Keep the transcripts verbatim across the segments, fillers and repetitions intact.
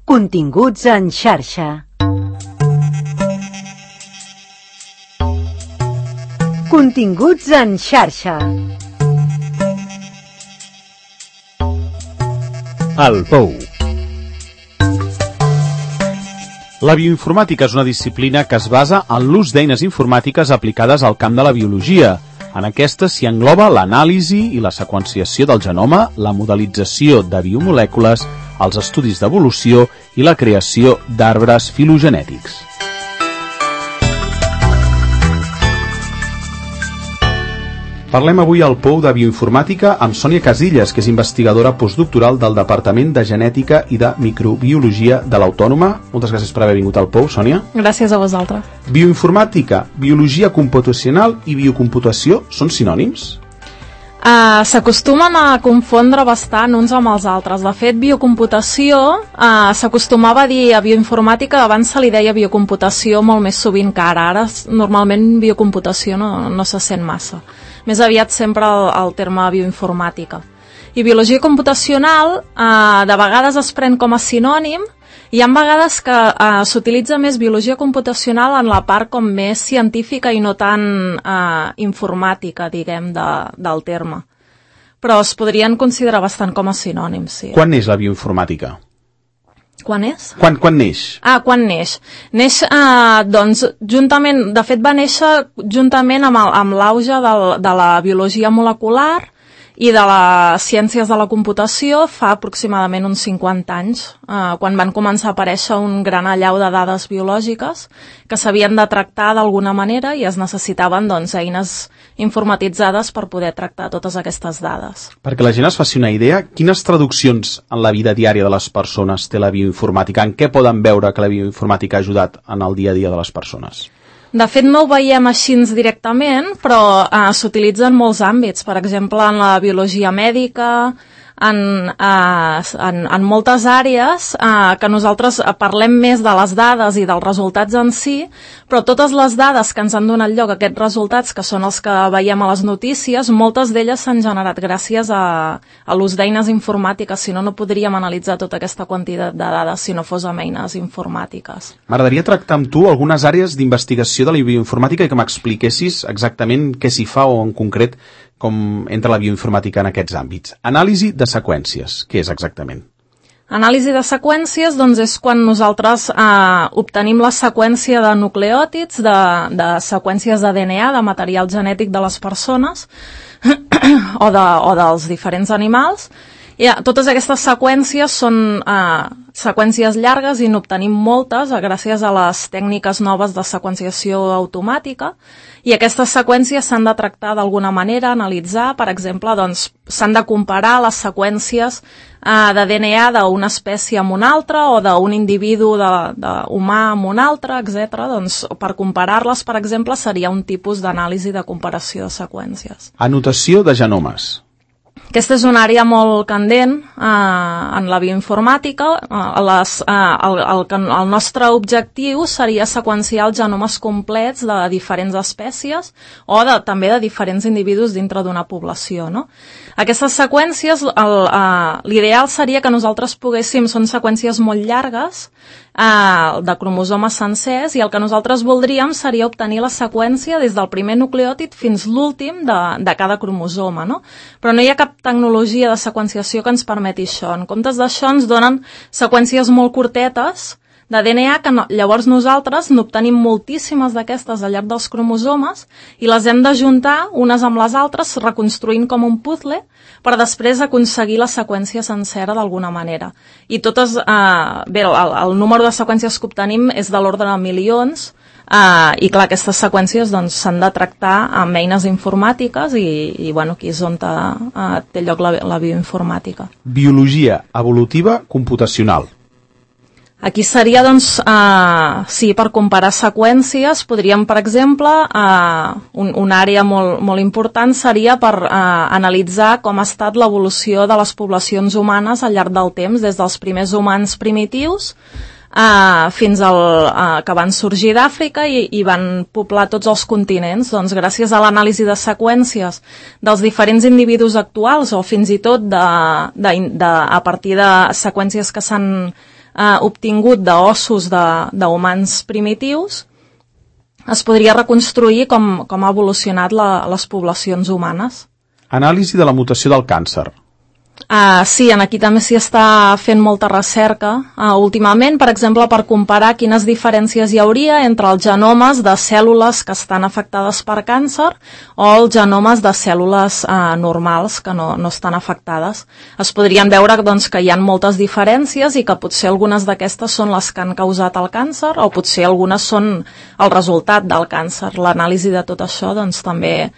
Continguts en xarxa. Continguts en xarxa. El Pou. La bioinformàtica és una disciplina que es basa en l'ús d'eines informàtiques aplicades al camp de la biologia. En aquesta s'hi engloba l'anàlisi i la seqüenciació del genoma, la modelització de biomolècules, els estudis d'evolució i la creació d'arbres filogenètics. Parlem avui al Pou de Bioinformàtica amb Sònia Casillas, que és investigadora postdoctoral del Departament de Genètica i de Microbiologia de l'Autònoma. Moltes gràcies per haver vingut al Pou, Sònia. Gràcies a vosaltres. Bioinformàtica, biologia computacional i biocomputació són sinònims? Uh, S'acostumen a confondre bastant uns amb els altres. De fet, biocomputació uh, s'acostumava a dir a bioinformàtica, abans se li deia biocomputació molt més sovint que ara. Ara normalment biocomputació no, no se sent massa. Més aviat sempre el, el terme bioinformàtica. I biologia computacional eh, de vegades es pren com a sinònim, i hi ha vegades que eh, s'utilitza més biologia computacional en la part com més científica i no tan eh, informàtica, diguem, de, del terme. Però es podrien considerar bastant com a sinònims, sí. Quan és la bioinformàtica? Quan és? Quan, quan neix? Ah, quan neix? Neix, eh, doncs, juntament, de fet va néixer juntament amb, el, amb l'auge de la biologia molecular i de les ciències de la computació fa aproximadament uns cinquanta anys, eh, quan van començar a aparèixer un gran allau de dades biològiques que s'havien de tractar d'alguna manera i es necessitaven, doncs, eines informatitzades per poder tractar totes aquestes dades. Perquè la gent es faci una idea, quines traduccions en la vida diària de les persones té la bioinformàtica? En què poden veure que la bioinformàtica ha ajudat en el dia a dia de les persones? De fet, no ho veiem així directament, però eh, s'utilitza en molts àmbits. Per exemple, en la biologia mèdica, en, eh, en, en moltes àrees eh, que nosaltres parlem més de les dades i dels resultats en si, però totes les dades que ens han donat lloc a aquests resultats, que són els que veiem a les notícies, moltes d'elles s'han generat gràcies a, a l'ús d'eines informàtiques. Si no, no podríem analitzar tota aquesta quantitat de dades si no fos amb eines informàtiques. M'agradaria tractar amb tu algunes àrees d'investigació de la bioinformàtica i que m'expliquessis exactament què s'hi fa o en concret com entra la bioinformàtica en aquests àmbits. Anàlisi de seqüències, què és exactament? Anàlisi de seqüències, doncs, és quan nosaltres eh, obtenim la seqüència de nucleòtids, de, de seqüències de D N A, de material genètic de les persones o, de, o dels diferents animals. I ja, totes aquestes seqüències són eh, seqüències llargues i n'obtenim moltes gràcies a les tècniques noves de seqüenciació automàtica, i aquestes seqüències s'han de tractar d'alguna manera, analitzar. Per exemple, doncs, s'han de comparar les seqüències eh, de D N A d'una espècie amb una altra o d'un individu de, de humà amb un altre, etcètera. Doncs, per comparar-les, per exemple, seria un tipus d'anàlisi de comparació de seqüències. Anotació de genomes. Aquesta és una àrea molt candent eh, en la bioinformàtica. Eh, les, eh, el, el, el nostre objectiu seria seqüenciar els genomes complets de diferents espècies o de, també de diferents individus dintre d'una població, no? Aquestes seqüències, l'ideal eh, seria que nosaltres poguéssim, són seqüències molt llargues, eh, de cromosomes sencers, i el que nosaltres voldríem seria obtenir la seqüència des del primer nucleòtid fins l'últim de, de cada cromosoma, no? Però no hi ha cap tecnologia de seqüenciació que ens permeti això. En comptes d'això ens donen seqüències molt curtetes de D N A que no, llavors nosaltres n'obtenim moltíssimes d'aquestes al llarg dels cromosomes i les hem d'ajuntar unes amb les altres, reconstruint com un puzzle, per després aconseguir la seqüència sencera d'alguna manera. I totes, eh, bé, el, el número de seqüències que obtenim és de l'ordre de milions, Uh, i clar, aquestes seqüències doncs, s'han de tractar amb eines informàtiques i, i bueno, aquí és on te, uh, té lloc la, la bioinformàtica. Biologia evolutiva computacional. Aquí seria, doncs, uh, sí, per comparar seqüències, podríem, per exemple, uh, un, una àrea molt, molt important seria per uh, analitzar com ha estat l'evolució de les poblacions humanes al llarg del temps, des dels primers humans primitius Uh, fins al uh, que van sorgir d'Àfrica i, i van poblar tots els continents. Doncs gràcies a l'anàlisi de seqüències dels diferents individus actuals o fins i tot de, de, de, a partir de seqüències que s'han eh, obtingut d'ossos d'humans primitius, es podria reconstruir com, com ha evolucionat la, les poblacions humanes. Anàlisi de la mutació del càncer. Uh, sí, en aquí també s'hi està fent molta recerca uh, últimament, per exemple, per comparar quines diferències hi hauria entre els genomes de cèl·lules que estan afectades per càncer o els genomes de cèl·lules uh, normals que no, no estan afectades. Es podrien veure doncs, que hi ha moltes diferències i que potser algunes d'aquestes són les que han causat el càncer o potser algunes són el resultat del càncer. L'anàlisi de tot això doncs, també...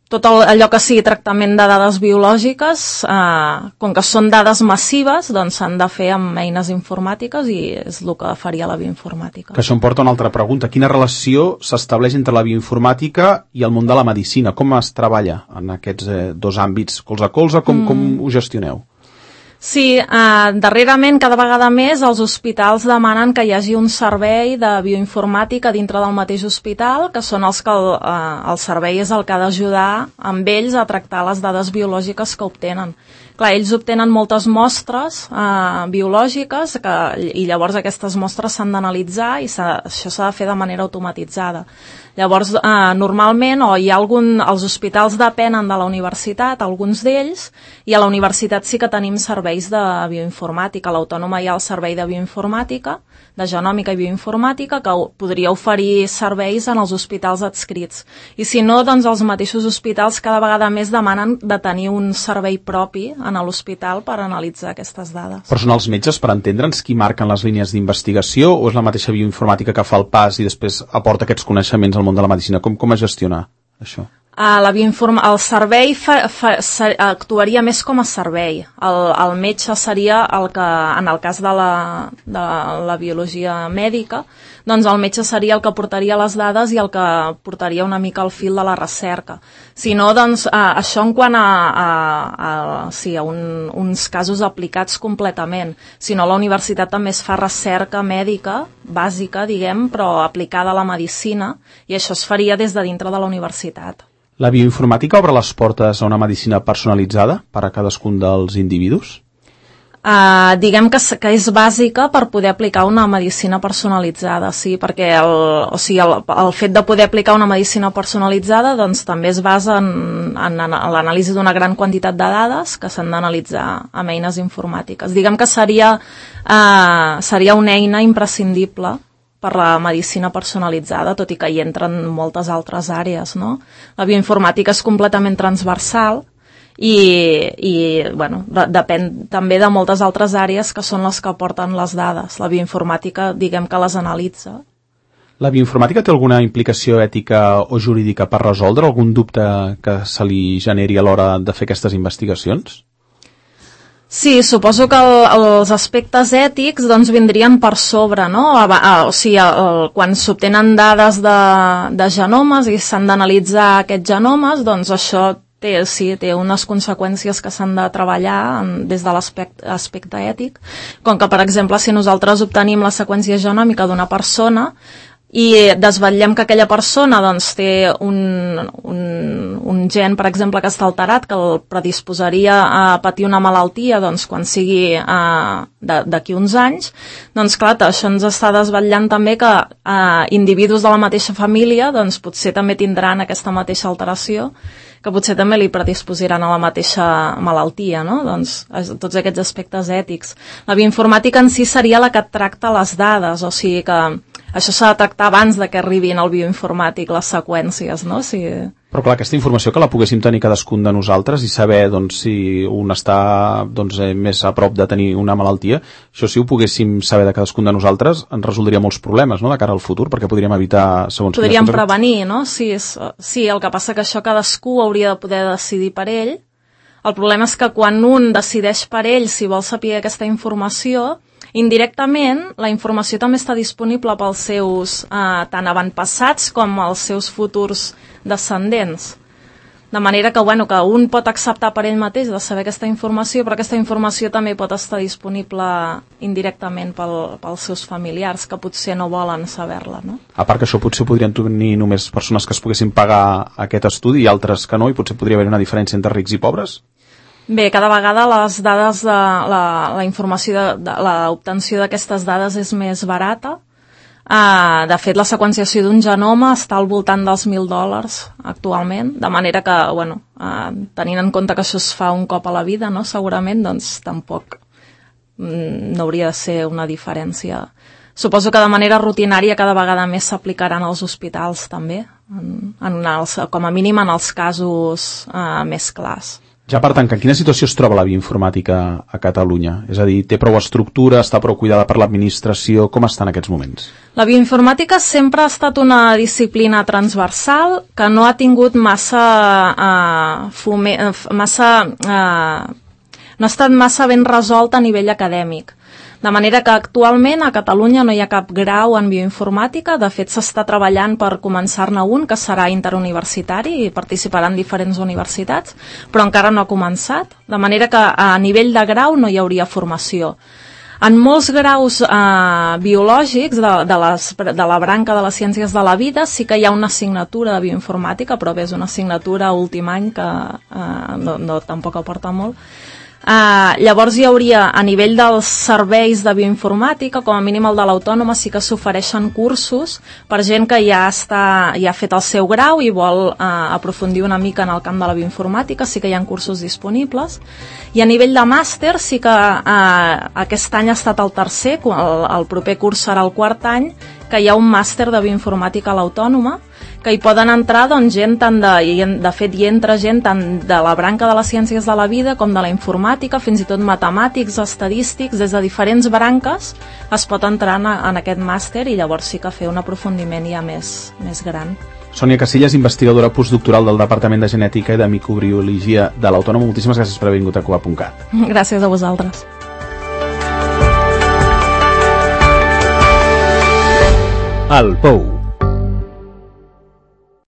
Tot allò que sigui tractament de dades biològiques, eh, com que són dades massives, doncs s'han de fer amb eines informàtiques i és el que faria la bioinformàtica. Que això em porta a una altra pregunta. Quina relació s'estableix entre la bioinformàtica i el món de la medicina? Com es treballa en aquests eh, dos àmbits? Colze a colze, com, mm. com ho gestioneu? Sí, eh, darrerament cada vegada més els hospitals demanen que hi hagi un servei de bioinformàtica dintre del mateix hospital, que són els que el, eh, el servei és el que ha d'ajudar amb ells a tractar les dades biològiques que obtenen. Clar, ells obtenen moltes mostres eh, biològiques que, i llavors aquestes mostres s'han d'analitzar i això s'ha de fer de manera automatitzada. Llavors, eh, normalment, o hi ha algun, els hospitals depenen de la universitat, alguns d'ells, i a la universitat sí que tenim serveis de bioinformàtica. A l'Autònoma hi ha el servei de bioinformàtica, de genòmica i bioinformàtica, que podria oferir serveis en els hospitals adscrits. I si no, doncs els mateixos hospitals cada vegada més demanen de tenir un servei propi en l'hospital per analitzar aquestes dades. Però són els metges, per entendre'ns, qui marquen les línies d'investigació o és la mateixa bioinformàtica que fa el pas i després aporta aquests coneixements al món de la medicina? Com, com es gestiona això? Uh, la bioinform... El servei fa, fa, sa, actuaria més com a servei. El, el metge seria el que, en el cas de la, de la biologia mèdica, doncs el metge seria el que portaria les dades i el que portaria una mica el fil de la recerca. Si no, doncs, uh, això en quant a, a, a, sí, a un, uns casos aplicats completament. Si no, la universitat també es fa recerca mèdica, bàsica, diguem, però aplicada a la medicina, i això es faria des de dintre de la universitat. La bioinformàtica obre les portes a una medicina personalitzada per a cadascun dels individus? Uh, diguem que, que és bàsica per poder aplicar una medicina personalitzada, sí, perquè el, o sigui, el, el fet de poder aplicar una medicina personalitzada doncs, també es basa en, en, en l'anàlisi d'una gran quantitat de dades que s'han d'analitzar amb eines informàtiques. Diguem que seria, uh, seria una eina imprescindible per la medicina personalitzada, tot i que hi entren moltes altres àrees, no? La bioinformàtica és completament transversal i, i bueno, de, depèn també de moltes altres àrees que són les que aporten les dades. La bioinformàtica, diguem que les analitza. La bioinformàtica té alguna implicació ètica o jurídica per resoldre algun dubte que se li generi a l'hora de fer aquestes investigacions? Sí, suposo que el, els aspectes ètics doncs, vindrien per sobre, no? A, a, o sigui, el, quan s'obtenen dades de, de genomes i s'han d'analitzar aquests genomes, doncs això té, sí, té unes conseqüències que s'han de treballar en, des de l'aspecte ètic, com que, per exemple, si nosaltres obtenim la seqüència genòmica d'una persona i desvetllem que aquella persona doncs, té un, un, un gen, per exemple, que està alterat, que el predisposaria a patir una malaltia doncs, quan sigui uh, d'aquí uns anys, doncs clar, això ens està desvetllant també que uh, individus de la mateixa família doncs, potser també tindran aquesta mateixa alteració, que potser també li predisposiran a la mateixa malaltia, no? Doncs tots aquests aspectes ètics. La bioinformàtica en si seria la que tracta les dades, o sigui que això s'ha de tractar abans de que arribin al bioinformàtic les seqüències, no? Si... Però clar, aquesta informació que la poguéssim tenir cadascun de nosaltres i saber doncs, si un està doncs, eh, més a prop de tenir una malaltia, això si ho poguéssim saber de cadascun de nosaltres ens resoldria molts problemes, no?, de cara al futur, perquè podríem evitar segons... Podríem prevenir, no? Sí, és, sí, el que passa que això cadascú hauria de poder decidir per ell. El problema és que quan un decideix per ell si vol saber aquesta informació, indirectament, la informació també està disponible pels seus eh, tant avantpassats com els seus futurs descendents. De manera que, bueno, que un pot acceptar per ell mateix de saber aquesta informació, però aquesta informació també pot estar disponible indirectament pel, pels seus familiars, que potser no volen saber-la, no? A part que això potser podrien tenir només persones que es poguessin pagar aquest estudi i altres que no, i potser podria haver una diferència entre rics i pobres? Bé, cada vegada les dades, de, la, la informació, de, de, l'obtenció d'aquestes dades és més barata. Uh, de fet, la seqüenciació d'un genoma està al voltant dels mil dòlars actualment, de manera que, bueno, uh, tenint en compte que això es fa un cop a la vida, no?, segurament, doncs tampoc mm, no hauria de ser una diferència. Suposo que de manera rutinària cada vegada més s'aplicaran als hospitals també, en, en els, com a mínim en els casos uh, més clars. Ja per tant, en quina situació es troba la bioinformàtica a Catalunya? És a dir, té prou estructura, està prou cuidada per l'administració? Com està en aquests moments? La bioinformàtica sempre ha estat una disciplina transversal que no ha tingut massa... Uh, fume, massa uh, no ha estat massa ben resolta a nivell acadèmic. De manera que actualment a Catalunya no hi ha cap grau en bioinformàtica, de fet s'està treballant per començar-ne un que serà interuniversitari i participaran diferents universitats, però encara no ha començat, de manera que a nivell de grau no hi hauria formació. En molts graus eh, biològics de, de, les, de la branca de les ciències de la vida sí que hi ha una assignatura de bioinformàtica, però bé, és una assignatura últim any que eh, no, no, tampoc aporta molt. Uh, llavors hi hauria, a nivell dels serveis de bioinformàtica, com a mínim el de l'Autònoma, sí que s'ofereixen cursos per gent que ja, està, ja ha fet el seu grau i vol uh, aprofundir una mica en el camp de la bioinformàtica, sí que hi ha cursos disponibles. I a nivell de màster sí que uh, aquest any ha estat el tercer, el, el proper curs serà el quart any, que hi ha un màster de bioinformàtica a l'Autònoma, que hi poden entrar doncs, gent tant de, i de fet hi entra gent tant de la branca de les ciències de la vida com de la informàtica, fins i tot matemàtics, estadístics, des de diferents branques es pot entrar en, en aquest màster i llavors sí que fer un aprofundiment ja més, més gran. Sònia Casillas, investigadora postdoctoral del Departament de Genètica i de Microbiologia de l'Autònoma, moltíssimes gràcies per haver vingut a Cuba punt cat. Gràcies a vosaltres. El Pou.